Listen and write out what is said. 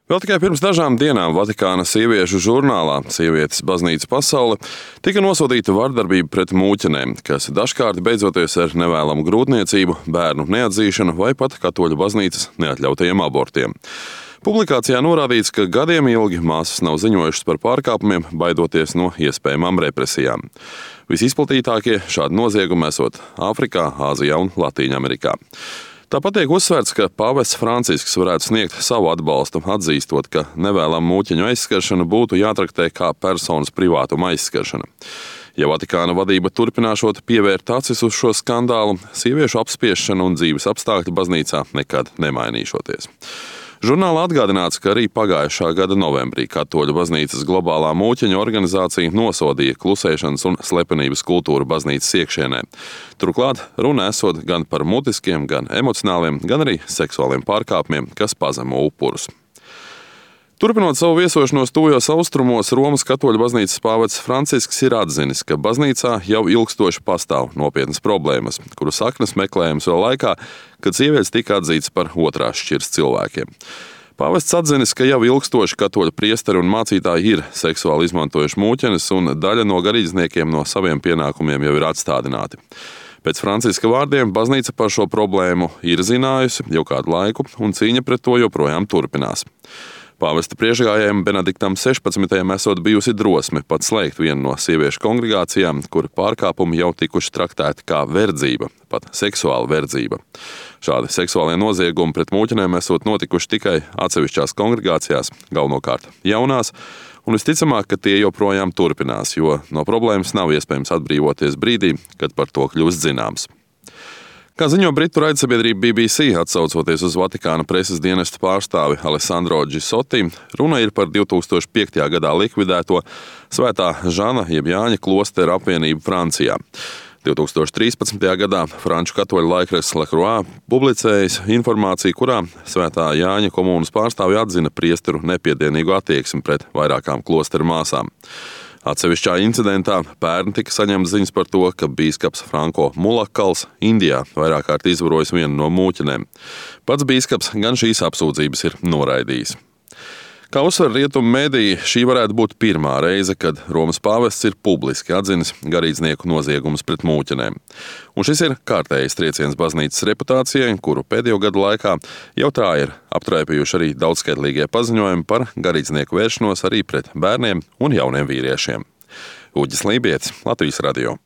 Vēl tikai pirms dažām dienām Vatikāna sieviešu žurnālā Sievietes baznīca pasaule tika nosodīta vardarbība pret mūķenēm, kas dažkārt beidzoties ar nevēlamu grūtniecību, bērnu neatzīšanu vai pat katoļu baznīcas neatļautajiem abortiem. Publikācijā norādīts, ka gadiem ilgi māsas nav ziņojušas par pārkāpumiem, baidoties no iespējamām represijām. Visizplatītākie šādi noziegumi esot Āfrikā, Āzijā un Latīņamerikā. Tāpat tiek uzsvērts, ka pāvests Francisks varētu sniegt savu atbalstu, atzīstot, ka nevēlama mūķeņu aizskaršana būtu jātraktē kā personas privātuma aizskaršana. Ja Vatikāna vadība turpināšot pievērt acis uz šo skandālu, sieviešu apspiešana un dzīves apstākļi baznīcā nekad nemainīšoties. Žurnālā atgādināts, ka arī pagājušā gada novembrī Katoļu baznīcas globālā mūķeņu organizācija nosodīja klusēšanas un slepenības kultūru baznīcas iekšienē. Turklāt runa esot gan par mutiskiem, gan emocionāliem, gan arī seksuāliem pārkāpumiem, kas pazemo upurus. Turpinot savu viesošanos tuvajos austrumos, Romas katoļu baznīcas pāvests Francisks ir atzinis, ka baznīcā jau ilgstoši pastāv nopietnas problēmas, kuru saknes meklējams vēl laikā, kad sievietes tika atzītas par otrās šķiras cilvēkiem. Pāvests atzinis, ka jau ilgstoši katoļu priesteri un mācītāji ir seksuāli izmantojuši mūķenes, un daļa no garīdzniekiem no saviem pienākumiem jau ir atstādināti. Pēc Franciska vārdiem baznīca par šo problēmu ir zinājusi jau kādu laiku, un cīņa pret to joprojām turpinās. Pāvesta priekšgājējam Benediktam 16. esot bijusi drosme pat slēgt vienu no sieviešu kongregācijām, kur pārkāpumi jau tikuši traktēti kā verdzība, pat seksuāla verdzība. Šādi seksuālie noziegumi pret mūķenēm esot notikuši tikai atsevišķās kongregācijās, galvenokārt jaunās, un visticamāk, ka tie joprojām turpinās, jo no problēmas nav iespējams atbrīvoties brīdī, kad par to kļūst zināms. Kā ziņo britu raidsabiedrība BBC, atsaucoties uz Vatikāna preses dienesta pārstāvi Alessandro Gisotti, runa ir par 2005. gadā likvidēto Svētā Žana jeb Jāņa klosteru apvienību Francijā. 2013. gadā franču katoļu laikraksts Le Croix publicējis informāciju, kurā Svētā Jāņa komūnas pārstāvi atzina priesteru nepiedienīgu attieksmi pret vairākām klosteru māsām. Atsevišķā incidentā pērn tika saņemts ziņas par to, ka bīskaps Franko Mulakals Indijā vairāk kārt izvarojis vienu no mūķenēm. Pats bīskaps gan šīs apsūdzības ir noraidījis. Kā uzsver rietumu mediji, šī varētu būt pirmā reize, kad Romas pāvests ir publiski atzinis garīdznieku noziegumus pret mūķenēm. Un šis ir kārtējs trieciens baznīcas reputācijai, kuru pēdējo gadu laikā jau tā ir aptraipījuši arī daudzskaitlīgie paziņojumi par garīdznieku vēršanos arī pret bērniem un jauniem vīriešiem. Uģis Lībietis, Latvijas radio.